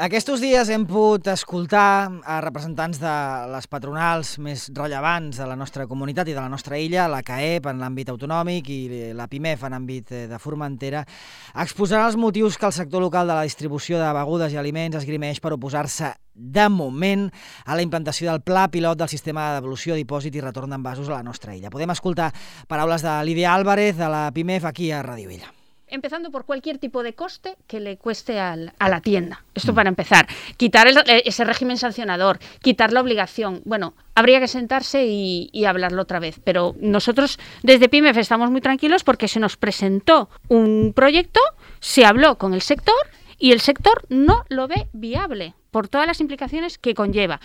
Aquests dies hem pogut escoltar a representants de les patronals més rellevants de la nostra comunitat i de la nostra illa, la CAEP en l'àmbit autonòmic i la PIMEF en l'àmbit de Formentera, exposant els motius que el sector local de la distribució de begudes i aliments esgrimeix per oposar-se de moment a la implantació del pla pilot del sistema de devolució, dipòsit i retorn d'envasos a la nostra illa. Podem escoltar paraules de Lídia Álvarez de la PIMEF aquí a Ràdio Illa. Empezando por cualquier tipo de coste que le cueste a la tienda. Esto para empezar. Quitar ese régimen sancionador, quitar la obligación. Bueno, habría que sentarse y hablarlo otra vez. Pero nosotros desde PIMEF estamos muy tranquilos porque se nos presentó un proyecto, se habló con el sector y el sector no lo ve viable por todas las implicaciones que conlleva.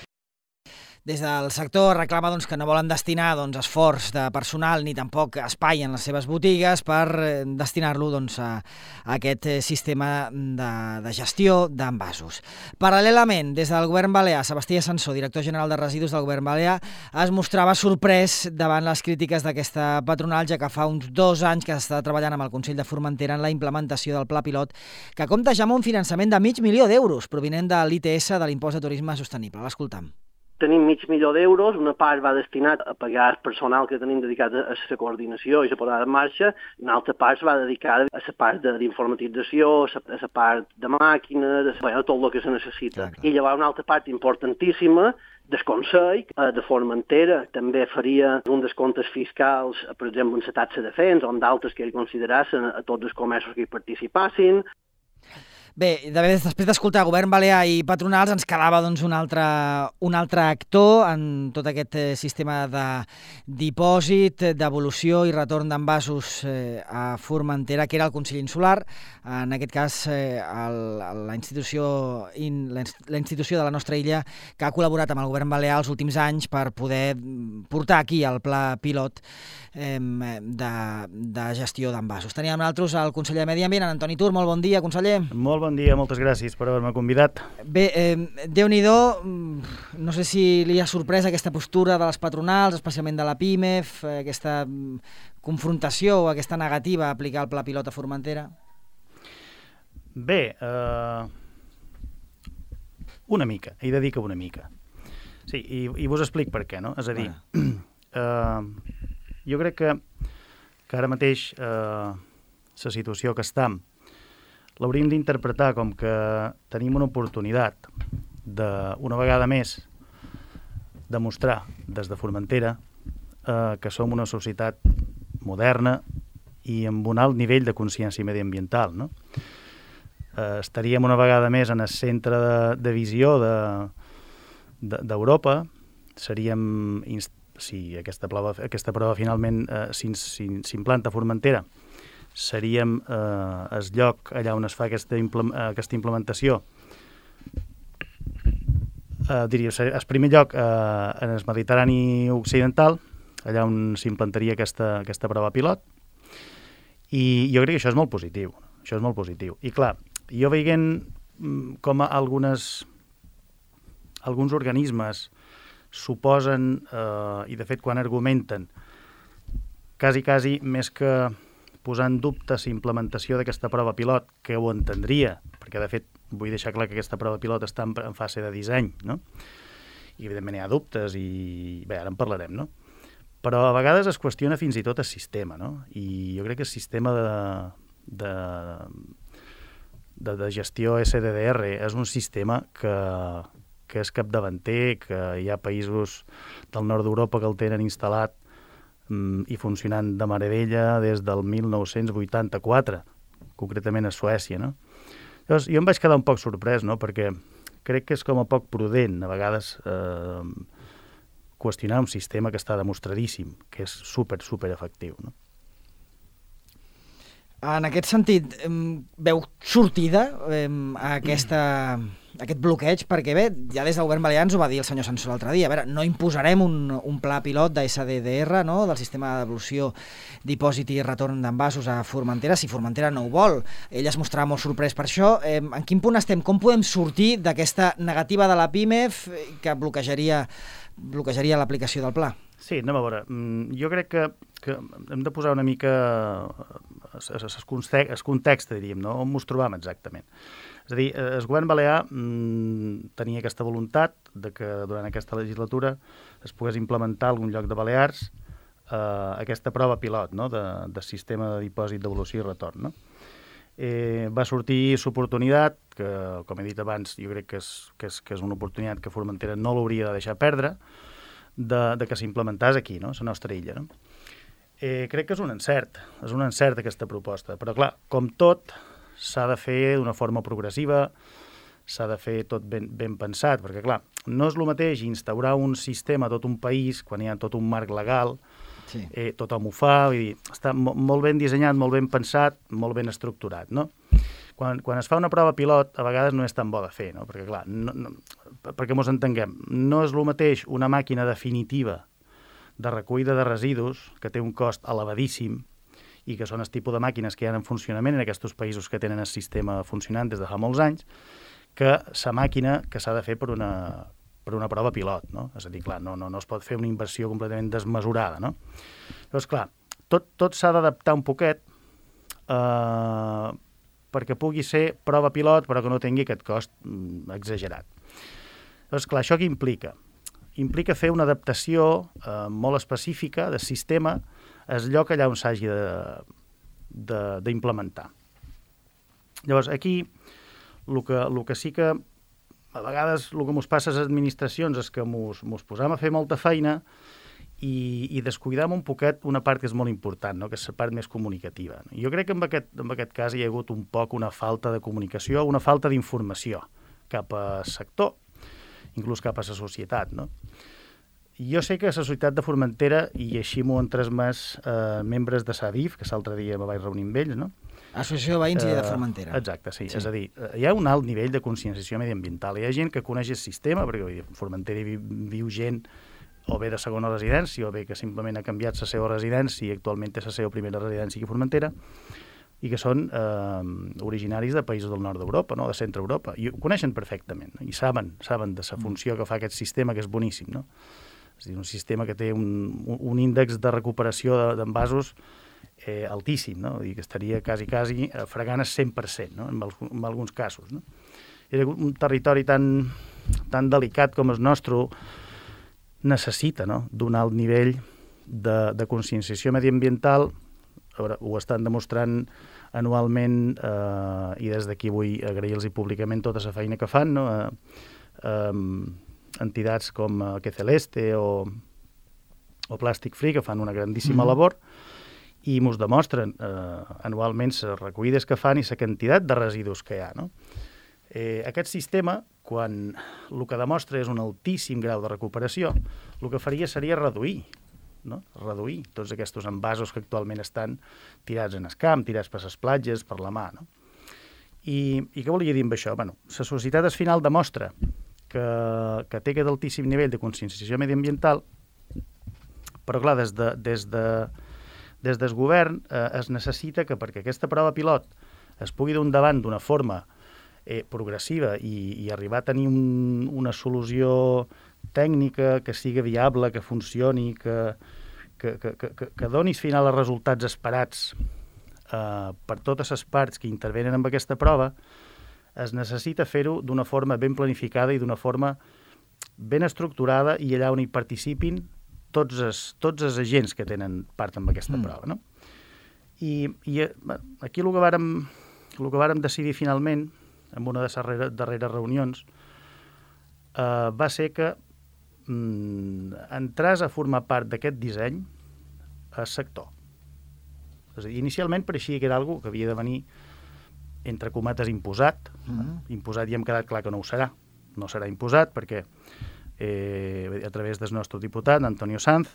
Des del sector reclama que no volen destinar esforç de personal ni tampoc espai en les seves botigues per destinar-lo a aquest sistema de gestió d'envasos. Paral·lelament, des del govern balear, Sebastià Sansó, director general de residus del govern balear, es mostrava sorprès davant les crítiques d'aquesta patronal, ja que fa uns 2 anys que s'està treballant amb el Consell de Formentera en la implementació del pla pilot, que compta ja amb un finançament de $500.000 provinent de l'ITS, de l'impost de turisme sostenible. L'escoltam. Tenim $500.000, una part va destinat a pagar el personal que tenim dedicat a la coordinació i la posada en marxa, una altra part va dedicada a la part d'informatització, a la part de màquines, a tot el que se necessita. I llavors una altra part importantíssima del Consell de Formentera també faria un descomptes fiscals, per exemple, en la taxa de fens o en d'altres que ell considerassen a tots els comerços que hi participassin. Bé, després d'escoltar Govern Balear i patronals ens quedava un altre actor en tot aquest sistema de dipòsit, devolució i retorn d'envasos a Formentera, que era el Consell Insular, en aquest cas la institució de la nostra illa que ha col·laborat amb el Govern Balear els últims anys per poder portar aquí el pla pilot de gestió d'envasos. Teníem nosaltres el conseller de Medi Ambient, en Antoni Tur. Molt bon dia, conseller. Molt bon dia, moltes gràcies per haver-me convidat. Bé, Déu-n'hi-do, no sé si li ha sorprès aquesta postura de les patronals, especialment de la PIMEF, aquesta confrontació o aquesta negativa a aplicar el pla pilot a Formentera? Bé, una mica, he de dir que una mica. Sí, i vos explic per què, no? És a dir, jo crec que ara mateix la situació que estem l'hauríem d'interpretar com que tenim una oportunitat una vegada més demostrar des de Formentera que som una societat moderna i amb un alt nivell de consciència mediambiental, no? Estaríem una vegada més en el centre de visió d'Europa, seríem, si aquesta prova finalment s'implanta a Formentera, seríem el lloc allà on es fa aquesta implementació, diria, el primer lloc en el Mediterrani Occidental, allà on s'implantaria aquesta prova pilot, i jo crec que això és molt positiu. Això és molt positiu. I clar, jo veient com alguns organismes suposen, i de fet quan argumenten, quasi més que posar en dubte la implementació d'aquesta prova pilot, que ho entendria, perquè de fet vull deixar clar que aquesta prova pilot està en fase de disseny, no? I evidentment hi ha dubtes i bé, ara en parlarem, no? Però a vegades es qüestiona fins i tot el sistema, no? I jo crec que el sistema de gestió SDDR és un sistema que és capdavanter, que hi ha països del nord d'Europa que el tenen instal·lat i funcionant de meravella des del 1984, concretament a Suècia, no? Llavors, jo em vaig quedar un poc sorprès, no?, perquè crec que és com a poc prudent, a vegades, qüestionar un sistema que està demostradíssim, que és super efectiu, no? En aquest sentit, veu sortida aquest bloqueig? Perquè bé, ja des del govern balear ens ho va dir el senyor Sansó l'altre dia. A veure, no imposarem un pla pilot de SDDR, no?, del sistema de devolució, dipòsit i retorn d'envasos a Formentera, si Formentera no ho vol. Ell es mostrava molt sorprès per això. En quin punt estem? Com podem sortir d'aquesta negativa de la PIMEF que bloquejaria l'aplicació del pla? Sí, anem a veure. Jo crec que hem de posar una mica el context, diríem, no? On ens trobam exactament. És a dir, el govern balear tenia aquesta voluntat de que durant aquesta legislatura es pogués implementar a algun lloc de Balears aquesta prova pilot, no?, de sistema de dipòsit, devolució i retorn. No? Va sortir l'oportunitat, que com he dit abans, jo crec que és una oportunitat que Formentera no l'hauria de deixar perdre, de que s'implementàs aquí, no?, la nostra illa. No? Crec que és un encert aquesta proposta, però clar, com tot, s'ha de fer d'una forma progressiva, s'ha de fer tot ben pensat, perquè clar, no és el mateix instaurar un sistema a tot un país quan hi ha tot un marc legal, sí. Tothom ho fa, vull dir, està molt ben dissenyat, molt ben pensat, molt ben estructurat, no? Quan es fa una prova pilot, a vegades no és tan bo de fer, no? Perquè clar, perquè mos entenguem, no és el mateix una màquina definitiva de recollida de residus, que té un cost elevadíssim, i que són el tipus de màquines que hi ha en funcionament en aquests països que tenen el sistema funcionant des de fa molts anys, que la màquina que s'ha de fer per una prova pilot, no? És a dir, clar, no es pot fer una inversió completament desmesurada, no? Llavors, clar, tot s'ha d'adaptar un poquet perquè pugui ser prova pilot però que no tingui aquest cost exagerat. Llavors, clar, això què implica? Implica fer una adaptació molt específica del sistema al lloc allà on s'hagi d'implementar. Llavors, aquí, el que sí que a vegades el que ens passa a les administracions és que ens posam a fer molta feina i descuidam un poquet una part que és molt important, no?, que és la part més comunicativa. Jo crec que en aquest cas hi ha hagut un poc una falta de comunicació, una falta d'informació cap al sector, inclús cap a la societat, no? Jo sé que a la societat de Formentera, i així m'ho han transmès membres de SADIF, que l'altre dia me vaig reunir amb ells, no? Associació de Veïns i de Formentera. Exacte, sí. És a dir, hi ha un alt nivell de conscienciació mediambiental. Hi ha gent que coneix el sistema, perquè a Formentera viu gent o bé de segona residència o bé que simplement ha canviat la seva residència i actualment té la seva primera residència aquí a Formentera, i que són originaris de països del nord d'Europa, no?, de centre Europa, i ho coneixen perfectament, no? I saben de la funció que fa aquest sistema, que és boníssim, no? És a dir, un sistema que té un índex de recuperació d'envasos altíssim, no? I que estaria quasi fregant el 100%, no?, en alguns casos, no? I un territori tan delicat com el nostre necessita, no?, d'un alt nivell de conscienciació mediambiental. A veure, ho estan demostrant anualment i des d'aquí vull agrair-los públicament tota la feina que fan, no? Entitats com Que Celeste o Plastic Free, que fan una grandíssima labor, i ens demostren anualment les recollides que fan i la quantitat de residus que hi ha, no? Aquest sistema, quan el que demostra és un altíssim grau de recuperació, el que faria seria reduir tots aquests envasos que actualment estan tirats en el camp, tirats per les platges, per la mà, no? I què volia dir amb això? Bueno, la societat al final demostra que té aquest altíssim nivell de conscienciació mediambiental, però clar, des del govern es necessita que perquè aquesta prova pilot es pugui dur endavant d'una forma progressiva i arribar a tenir una solució tècnica que sigui viable, que funcioni, que doni al final els resultats esperats per totes les parts que intervenen en aquesta prova, es necessita fer-ho d'una forma ben planificada i d'una forma ben estructurada i allà on hi participin tots els agents que tenen part en aquesta prova, no? I aquí el que vàrem decidir finalment, en una de les darreres reunions, va ser que entràs a formar part d'aquest disseny al sector. És a dir, inicialment pareixia que era algo que havia de venir, entre comates, imposat. Imposat i hem quedat clar que no ho serà. No serà imposat perquè a través del nostre diputat, Antonio Sanz,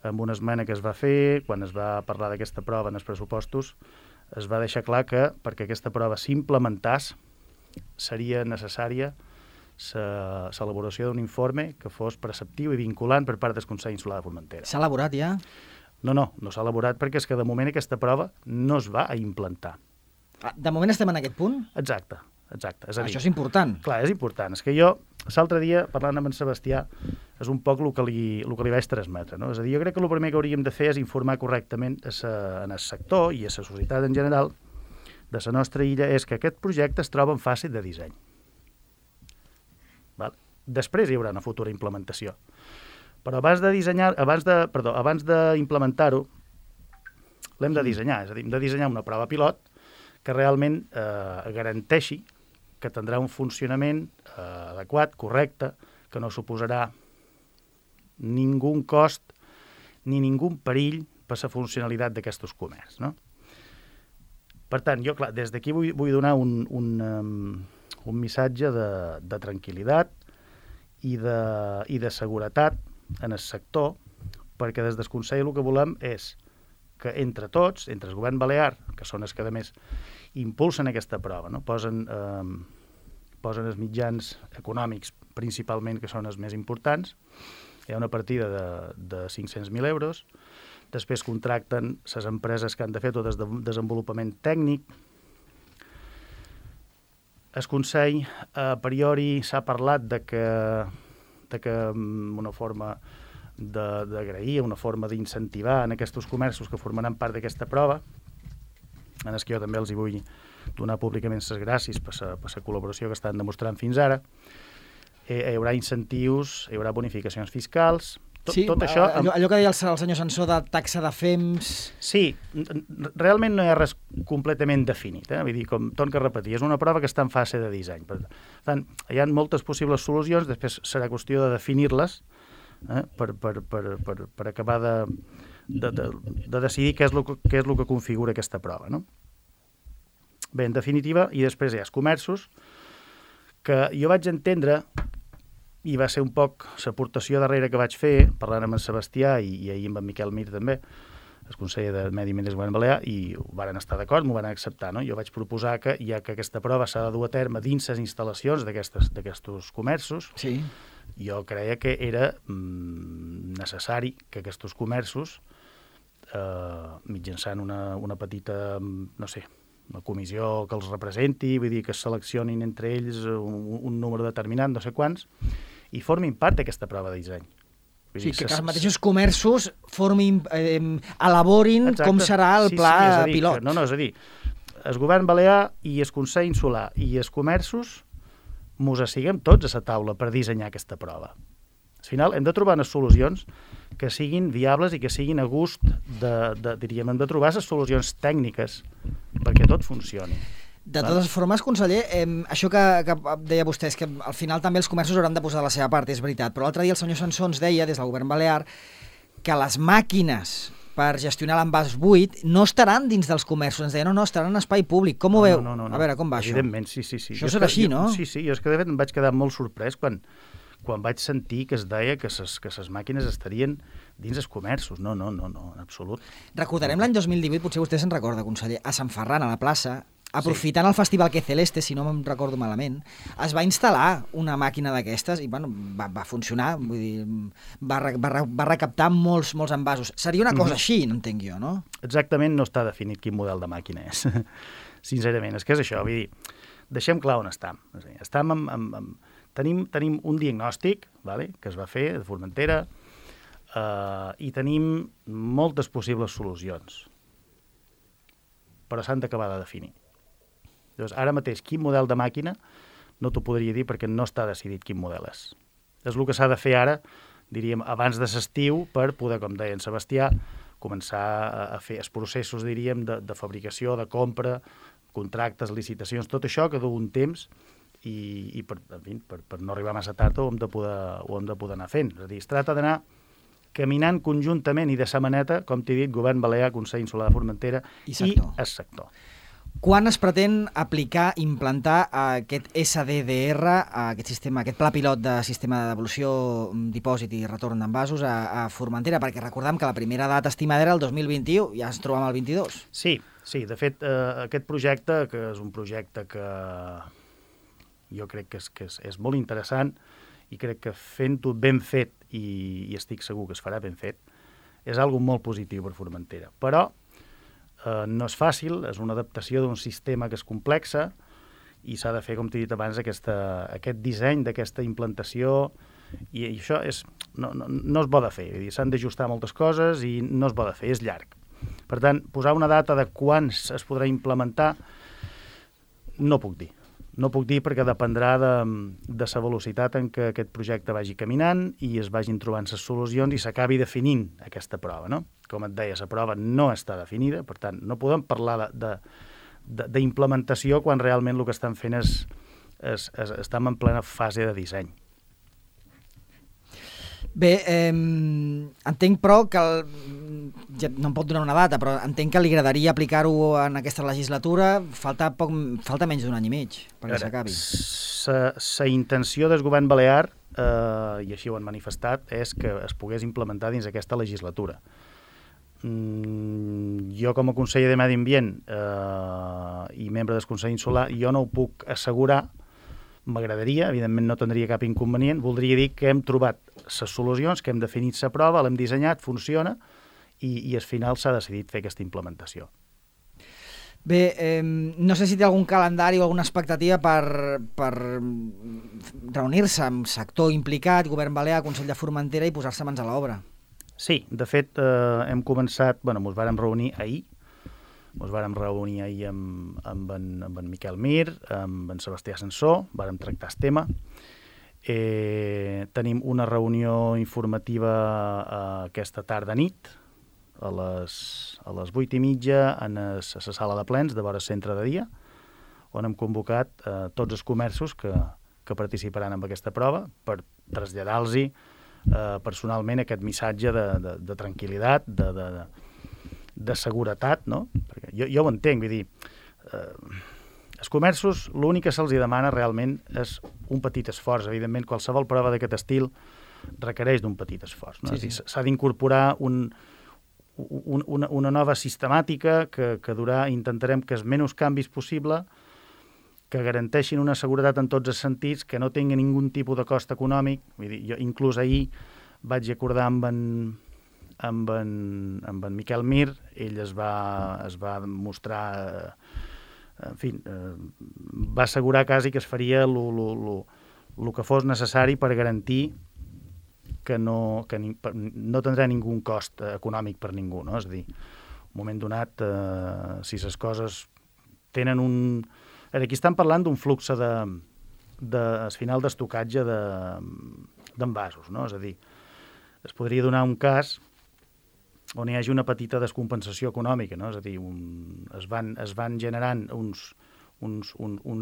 amb una esmena que es va fer, quan es va parlar d'aquesta prova en els pressupostos, es va deixar clar que perquè aquesta prova s'implementàs seria necessària l'elaboració d'un informe que fos preceptiu i vinculant per part del Consell Insular de Formentera. S'ha elaborat ja? No s'ha elaborat perquè és que de moment aquesta prova no es va a implantar. De moment estem en aquest punt? Exacte. És a dir, això és important. Clar, és important. És que jo, l'altre dia, parlant amb en Sebastià, és un poc el que li vaig transmetre, no? És a dir, jo crec que el primer que hauríem de fer és informar correctament en el sector i a la societat en general de la nostra illa és que aquest projecte es troba en fase de disseny. Val? Després hi haurà una futura implementació. Però abans d'implementar-ho, l'hem de dissenyar, és a dir, hem de dissenyar una prova pilot que realment garanteixi que tindrà un funcionament adequat, correcte, que no suposarà ningú cost ni ningú perill per la funcionalitat d'aquests comerç, no? Per tant, jo, clar, des d'aquí vull donar un missatge de tranquil·litat i de seguretat en el sector, perquè des del Consell el que volem és que entre tots, entre el govern balear, que són els que a més impulsen aquesta prova, no? Posen els mitjans econòmics principalment, que són els més importants, hi ha una partida de 500.000 euros, després contracten les empreses que han de fer tot el desenvolupament tècnic. El Consell, a priori, s'ha parlat de que una forma d'agrair, una forma d'incentivar en aquests comerços que formaran part d'aquesta prova, en els que jo també els hi vull donar públicament les gràcies per la col·laboració que estan demostrant fins ara. Hi haurà incentius, hi haurà bonificacions fiscals. Tot això... Allò que deia el senyor Sansó de taxa de FEMS... Sí, realment no hi ha res completament definit. Vull dir, com torno a repetir, és una prova que està en fase de disseny. Per tant, hi ha moltes possibles solucions, després serà qüestió de definir-les per acabar de decidir què és el que configura aquesta prova, no? Bé, en definitiva, i després hi ha els comerços, que jo vaig entendre, i va ser un poc l'aportació darrere que vaig fer, parlant amb en Sebastià i ahir amb en Miquel Mir també, el conseller de Medi Ambient del Govern Balear, i ho van estar d'acord, m'ho van acceptar, no? Jo vaig proposar que, ja que aquesta prova s'ha de dur a terme dins les instal·lacions d'aquests comerços, sí, jo creia que era necessari que aquests comerços, mitjançant una petita, no sé, una comissió que els representi, vull dir que es seleccionin entre ells un número determinat, no sé quants, i formin part d'aquesta prova de disseny. Sí, que els mateixos comerços elaborin com serà el pla pilot. No, és a dir, el govern balear i el Consell Insular i els comerços mos assiguem tots a la taula per dissenyar aquesta prova. Al final hem de trobar unes solucions que siguin viables i que siguin a gust diríem, hem de trobar les solucions tècniques perquè tot funcioni. De totes formes, conseller, això que deia vostè és que al final també els comerços hauran de posar la seva part, és veritat, però l'altre dia el senyor Sansó ens deia, des del govern balear, que les màquines per gestionar l'envàs buit no estaran dins dels comerços, ens deia, no, estaran en espai públic. Com ho veu? No. A veure, com va això? Evidentment, sí. Això serà així, no? Sí, jo és que de fet em vaig quedar molt sorprès quan vaig sentir que es deia que les màquines estarien dins els comerços. No, en absolut. Recordarem l'any 2018, potser vostè se'n recorda, conseller, a Sant Ferran, a la plaça, aprofitant el Festival Que Celeste, si no me'n recordo malament, es va instal·lar una màquina d'aquestes i bueno, va funcionar, vull dir, va recaptar molts envasos. Seria una cosa així, no entenc jo, no? Exactament no està definit quin model de màquina és, sincerament. És que és això, vull dir, deixem clar on estem. Tenim un diagnòstic, vale, que es va fer de Formentera, i tenim moltes possibles solucions, però s'han d'acabar de definir. Llavors, ara mateix, quin model de màquina no t'ho podria dir perquè no està decidit quin model és. És el que s'ha de fer ara, diríem, abans de l'estiu, per poder, com deia en Sebastià, començar a fer els processos, diríem, de fabricació, de compra, contractes, licitacions, tot això que du un temps i per no arribar massa tard ho hem de poder anar fent. És a dir, es tracta d'anar caminant conjuntament i de sa maneta, com t'he dit, Govern Balear, Consell Insular de Formentera i el sector. Quan es pretén aplicar, implantar aquest SDDR, aquest sistema, aquest pla pilot de sistema de devolució, dipòsit i retorn d'envasos a Formentera? Perquè recordem que la primera data estimada era el 2021, ja ens trobem al 22. Sí, de fet, aquest projecte, que és un projecte que jo crec que és molt interessant i crec que fent-ho ben fet, i estic segur que es farà ben fet, és algo molt positiu per Formentera. Però no és fàcil, és una adaptació d'un sistema que és complexa i s'ha de fer, com t'he dit abans, aquest disseny d'aquesta implantació, i això no es pot de fer. S'han d'ajustar moltes coses i no es pot de fer, és llarg. Per tant, posar una data de quan es podrà implementar No puc dir. No puc dir perquè dependrà de la velocitat en què aquest projecte vagi caminant i es vagin trobant les solucions i s'acabi definint aquesta prova, no? Com et deia, la prova no està definida, per tant, no podem parlar d'implementació quan realment el que estan fent estem en plena fase de disseny. Bé, entenc, però, que ja no em pot donar una data, però entenc que li agradaria aplicar-ho en aquesta legislatura. Falta menys d'un any i mig perquè s'acabi. La intenció del govern balear, i així ho han manifestat, és que es pogués implementar dins aquesta legislatura. Jo, com a conseller de Medi Ambient i membre del Consell Insular, jo no ho puc assegurar. M'agradaria, evidentment no tindria cap inconvenient, voldria dir que hem trobat les solucions, que hem definit la prova, l'hem dissenyat, funciona, i al final s'ha decidit fer aquesta implementació. Bé, no sé si té algun calendari o alguna expectativa per reunir-se amb sector implicat, Govern Balear, Consell de Formentera, i posar-se mans a l'obra. Sí, de fet, hem començat, ens vàrem reunir ahir, amb en Miquel Mir, amb en Sebastià Sansó, vàrem tractar el tema. Tenim una reunió informativa aquesta tarda-nit, a les 8:30, a la sala de plens de vora centre de dia, on hem convocat tots els comerços que participaran en aquesta prova per traslladar-los personalment aquest missatge de tranquil·litat, de seguretat, no? Perquè jo ho entenc, vull dir, els comerços, l'únic que se'ls demana realment és un petit esforç. Evidentment, qualsevol prova d'aquest estil requereix d'un petit esforç, no? Sí. S'ha d'incorporar una nova sistemàtica que intentarem que els menys canvis possible, que garanteixin una seguretat en tots els sentits, que no tingui ningú tipus de cost econòmic. Vull dir, jo inclús ahir vaig acordar amb en Miquel Mir, ell es va mostrar, va assegurar quasi que es faria el que fos necessari per garantir que no tindrà ningú cost econòmic per ningú, no? És a dir, en un moment donat, si les coses tenen un... Aquí estan parlant d'un flux al final d'estocatge d'envasos, no? És a dir, es podria donar un cas on hi hagi una petita descompensació econòmica, no? És a dir, es van generant uns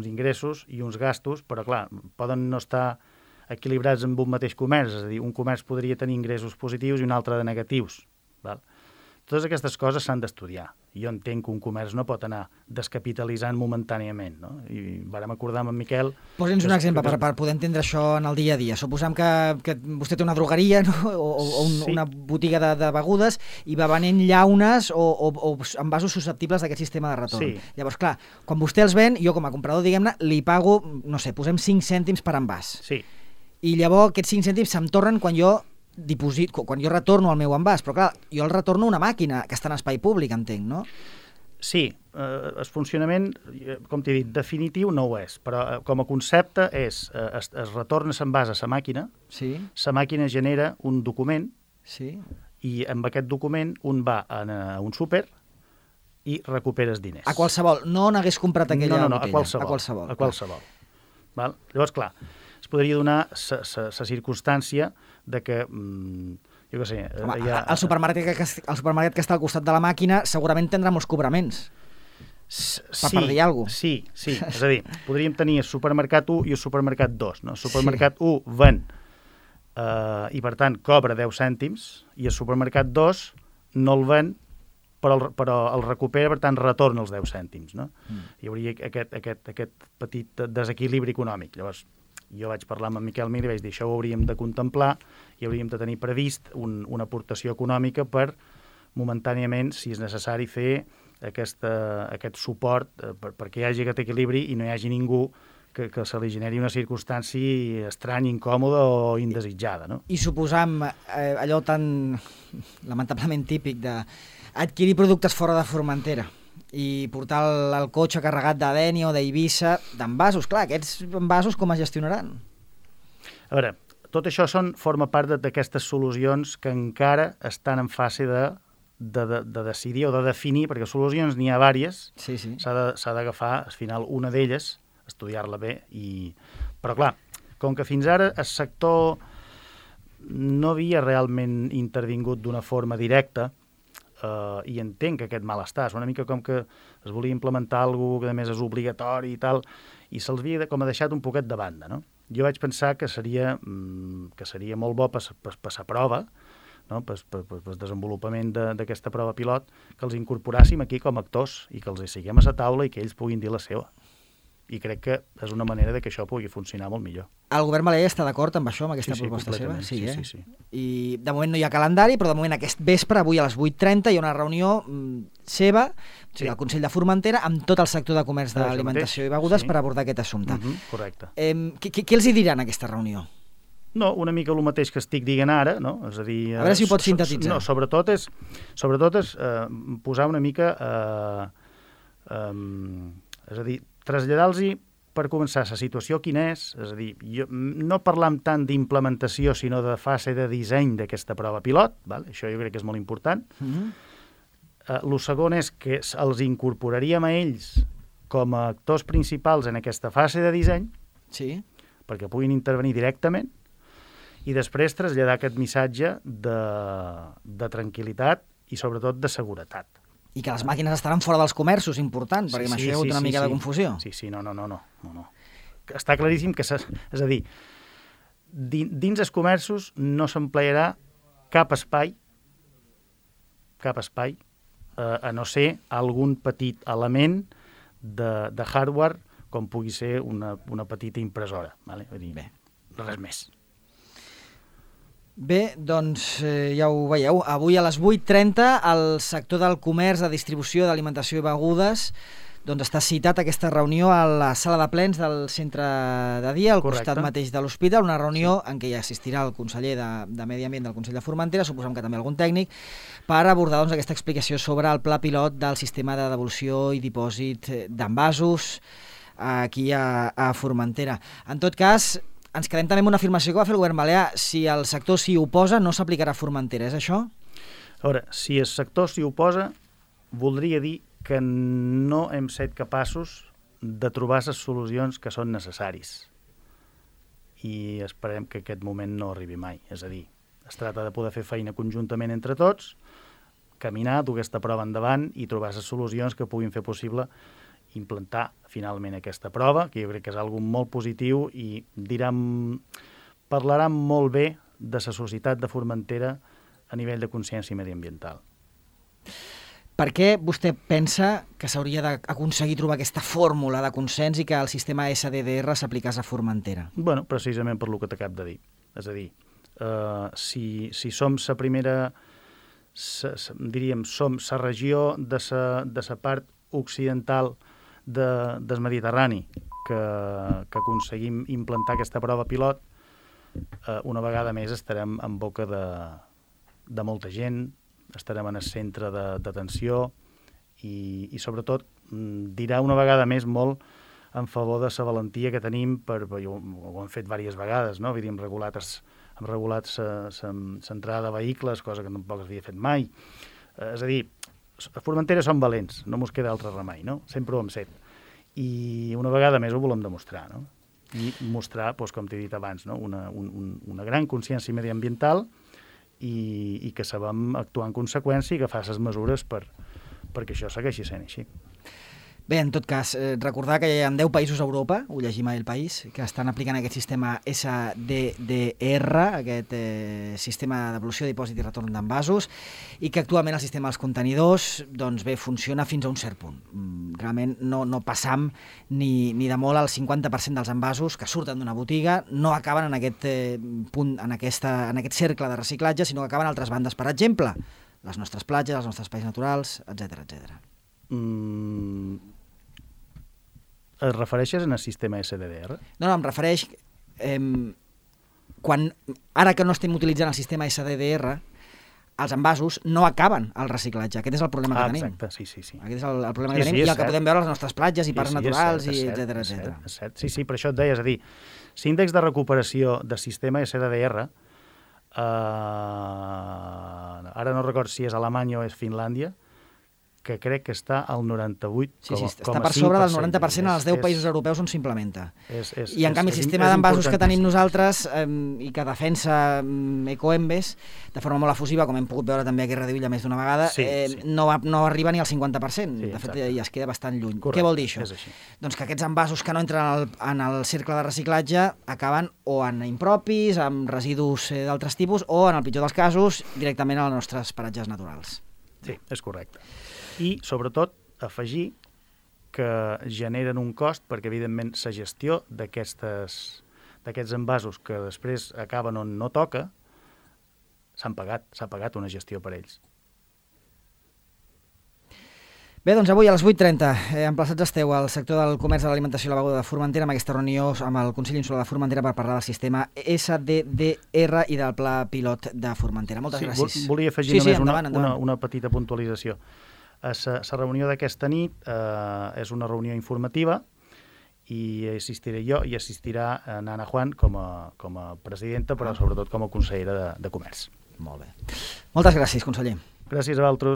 ingressos i uns gastos, però clar, poden no estar equilibrats en un mateix comerç, és a dir, un comerç podria tenir ingressos positius i un altre de negatius, val? Totes aquestes coses s'han d'estudiar. Jo entenc que un comerç no pot anar descapitalitzant momentàniament, no? I vàrem acordar amb en Miquel... Posa'ns un exemple per poder entendre això en el dia a dia. Suposem que vostè té una drogueria, no? Sí. Una botiga de begudes i va venent llaunes o envasos susceptibles d'aquest sistema de retorn. Sí. Llavors, clar, quan vostè els ven, jo com a comprador, diguem-ne, li pago, no sé, posem 5 cèntims per envàs. Sí. I llavors aquests 5 cèntims se'm tornen quan jo retorno el meu envàs, però clar, jo el retorno a una màquina que està en espai públic, entenc, no? Sí, el funcionament, com t'he dit, definitiu no ho és, però com a concepte es retorna l'envàs a la màquina, sí. La màquina genera un document, sí. I amb aquest document un va a un súper i recupera els diners. A qualsevol, no n'hagués comprat aquella botella. No, a qualsevol. Val? Llavors, clar, es podria donar la circumstància de que, jo què sé... Home, el supermercat que està al costat de la màquina segurament tindrà molts cobraments. Per dir alguna cosa. Sí. És a dir, podríem tenir el supermercat 1 i el supermercat 2. No? El supermercat 1 ven i, per tant, cobra 10 cèntims i el supermercat 2 no el ven però el recupera, per tant, retorna els 10 cèntims. No? Hi hauria aquest petit desequilibri econòmic. Llavors, jo vaig parlar amb en Miquel Mir i vaig dir això ho hauríem de contemplar i hauríem de tenir previst una aportació econòmica per, momentàniament, si és necessari, fer aquest suport perquè hi hagi aquest equilibri i no hi hagi ningú que se li generi una circumstància estranya, incòmoda o indesitjada. No? I suposam allò tan lamentablement típic d'adquirir productes fora de Formentera i portar el cotxe carregat de Dénia o d'Eivissa, d'envasos. Clar, aquests envasos com es gestionaran? A veure, tot això forma part d'aquestes solucions que encara estan en fase de de decidir o de definir, perquè solucions n'hi ha vàries, Sí. s'ha d'agafar, al final, una d'elles, estudiar-la bé, però clar, com que fins ara el sector no havia realment intervingut d'una forma directa, i entenc que aquest malestar és una mica com que es volia implementar alguna que a més és obligatori i tal, i se'ls havia com a deixat un poquet de banda, no? Jo vaig pensar que seria molt bo per la prova, no? Per desenvolupament d'aquesta prova pilot, que els incorporàssim aquí com a actors i que els siguem a la taula i que ells puguin dir la seva. I crec que és una manera de que això pugui funcionar molt millor. El govern balear està d'acord amb això, amb aquesta proposta seva? Sí. I de moment no hi ha calendari, però de moment aquest vespre, avui a les 8:30, hi ha una reunió seva, al Consell de Formentera, amb tot el sector de comerç d'alimentació i begudes per abordar aquest assumpte. Correcte. Què els hi diran en aquesta reunió? No, una mica el mateix que estic dient ara, no? És a dir... A veure si ho pots sintetitzar. No, sobretot és posar una mica... és a dir, traslladar-los per començar la situació quina és a dir, no parlam tant d'implementació sinó de fase de disseny d'aquesta prova pilot, val? Això jo crec que és molt important. El segon és que els incorporaríem a ells com a actors principals en aquesta fase de disseny, perquè puguin intervenir directament, i després traslladar aquest missatge de tranquil·litat i sobretot de seguretat. I que les màquines estaran fora dels comerços, important, perquè amb això hi ha hagut una mica de confusió. Sí, no. Està claríssim que, és a dir, dins els comerços no s'emplearà cap espai, a no ser algun petit element de hardware, com pugui ser una petita impressora. Vull dir, res més. Bé, doncs ja ho veieu. Avui a les 8:30 el sector del comerç, de distribució d'alimentació i begudes està citat a aquesta reunió a la sala de plens del centre de dia, al costat mateix de l'hospital, una reunió en què hi assistirà el conseller de Medi Ambient del Consell de Formentera, suposem que també algun tècnic, per abordar aquesta explicació sobre el pla pilot del sistema de devolució i dipòsit d'envasos aquí a Formentera. En tot cas, ens quedem també amb una afirmació que va fer el govern balear. Si el sector s'hi oposa, no s'aplicarà a Formentera, és això? A veure, si el sector s'hi oposa, voldria dir que no hem set capaços de trobar les solucions que són necessaris. I esperem que aquest moment no arribi mai. És a dir, es tracta de poder fer feina conjuntament entre tots, caminar, dur aquesta prova endavant i trobar les solucions que puguin fer possible implantar finalment aquesta prova, que jo crec que és algo molt positiu i parlaran molt bé de la societat de Formentera a nivell de consciència mediambiental. Per què vostè pensa que s'hauria d'aconseguir trobar aquesta fórmula de consens i que el sistema SDDR s'aplicés a Formentera? Bueno, precisament per lo que t'acabo de dir. És a dir, si som la primera, diríem, som la regió de la part occidental del Mediterrani que aconseguim implantar aquesta prova pilot, una vegada més estarem en boca de molta gent, estarem en el centre d'atenció i sobretot dirà una vegada més molt en favor de la valentia que tenim, ho hem fet diverses vegades, no? Vull dir, hem regulat l'entrada de vehicles, cosa que tampoc s'havia fet mai. És a dir, a Formentera som valents, no mos queda altre remei, no? Sempre ho hem set. I una vegada més ho volem demostrar, no? I mostrar, com t'he dit abans, no? una gran consciència mediambiental i que sabem actuar en conseqüència i agafar les mesures perquè això segueixi sent així. Bé, en tot cas, recordar que hi ha 10 països a Europa, ho llegim a El País, que estan aplicant aquest sistema SDDR, aquest sistema de devolució, dipòsit i retorn d'envasos, i que actualment el sistema dels contenidors funciona fins a un cert punt. Realment no passam ni de molt al 50% dels envasos que surten d'una botiga, no acaben en aquest punt, en aquest cercle de reciclatge, sinó que acaben a altres bandes, per exemple, les nostres platges, els nostres espais naturals, etc. Et refereixes al sistema SDDR? No, em refereix... Ara que no estem utilitzant el sistema SDDR, els envasos no acaben al reciclatge. Aquest és el problema que tenim. Exacte, sí. Aquest és el problema que tenim i el que podem veure a les nostres platges i parcs naturals, etc. És cert. Sí, per això et deia, és a dir, l'índex de recuperació del sistema SDDR ara no record si és Alemanya o és Finlàndia, que crec que està al 98,5%. Sí, està per sobre del 90% als 10 països europeus on s'implementa. I en canvi el sistema d'envasos que tenim nosaltres i que defensa Ecoembes de forma molt efusiva, com hem pogut veure també aquí a Radio Illa més d'una vegada, no arriba ni al 50%. De fet, ja es queda bastant lluny. Què vol dir això? Doncs que aquests envasos que no entren en el cercle de reciclatge acaben o en impropis, amb residus d'altres tipus, o, en el pitjor dels casos, directament als nostres paratges naturals. Sí, és correcte. I, sobretot, afegir que generen un cost perquè, evidentment, la gestió d'aquests envasos que després acaben on no toca, s'ha pagat una gestió per ells. Bé, doncs avui a les 8:30, emplaçats esteu al sector del comerç de l'alimentació i la beguda de Formentera amb aquesta reunió amb el Consell Insular de Formentera per parlar del sistema SDDR i del pla pilot de Formentera. Moltes gràcies. Volia afegir només una petita puntualització. La reunió d'aquesta nit és una reunió informativa i assistiré jo i assistirà Nana Juan com a presidenta, però sobretot com a consellera de Comerç. Molt bé. Moltes gràcies, conseller. Gràcies a vosaltres.